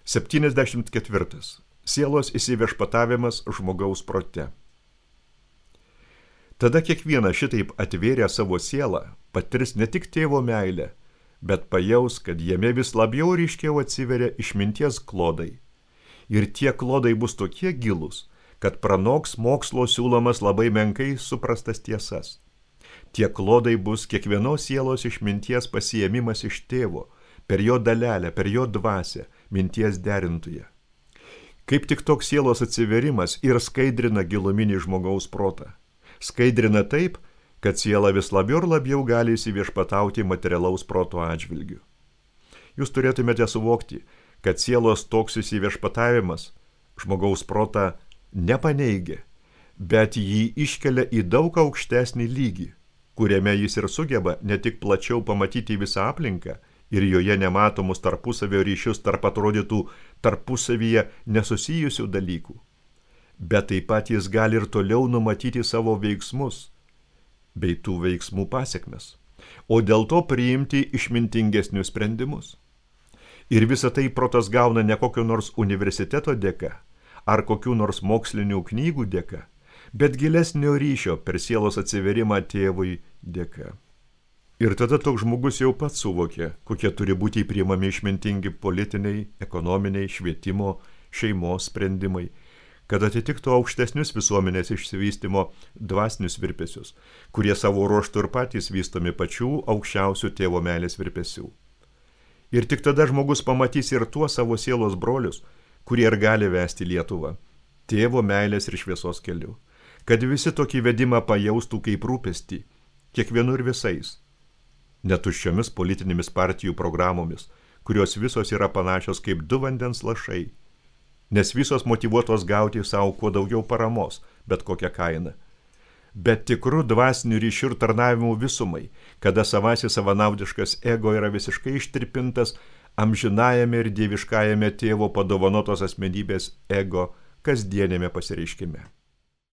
74. Sielos įsiviešpatavimas žmogaus prote. Tada kiekvienas šitaip atvėrė savo sielą, patirs ne tik tėvo meilę, bet pajaus, kad jame vis labiau ryškiau atsiveria išminties klodai. Ir tie klodai bus tokie gilūs, kad pranoks mokslo siūlomas labai menkai suprastas tiesas. Tie klodai bus kiekvienos sielos išminties pasiėmimas iš tėvo, per jo dalelę, per jo dvasią, minties derintoje. Kaip tik toks sielos atsiverimas ir skaidrina giluminį žmogaus protą. Skaidrina taip, kad siela vis labiau ir labiau gali įsiviešpatauti materialaus proto atžvilgiu. Jūs turėtumėte suvokti, kad sielos toks įsiviešpatavimas žmogaus protą nepaneigia, bet jį iškelia į daug aukštesnį lygį, kuriame jis ir sugeba ne tik plačiau pamatyti visą aplinką ir joje nematomus tarpusavio ryšius tarp atrodytų tarpusavyje nesusijusių dalykų, bet taip pat jis gali ir toliau numatyti savo veiksmus bei tų veiksmų pasekmes, o dėl to priimti išmintingesnius sprendimus. Ir visą tai protas gauna ne kokio nors universiteto dėka ar kokių nors mokslinių knygų dėka, bet gilesnio ryšio per sielos atsiverimą tėvui dėka. Ir tada toks žmogus jau pats suvokė, kokie turi būti priimami išmintingi politiniai, ekonominiai, švietimo, šeimos sprendimai, kad atitiktų aukštesnius visuomenės išsivystymo dvasinius virpesius, kurie savo ruožtu ir patys vystomi pačių aukščiausių tėvo meilės virpesių. Ir tik tada žmogus pamatys ir tuos savo sielos brolius, kurie ir gali vesti Lietuvą, tėvo meilės ir šviesos keliu, kad visi tokį vedimą pajaustų kaip rūpestį, kiekvienu ir visais, netuščiomis politinėmis partijų programomis, kurios visos yra panašios kaip du vandens lašai, nes visos motyvuotos gauti savo kuo daugiau paramos, bet kokią kainą. Bet tikrų dvasinių ryšių ir tarnavimų visumai, kada savasis savanaudiškas ego yra visiškai ištirpintas amžinajame ir dieviškajame tėvo padovanotos asmenybės ego kasdienėme pasireiškime.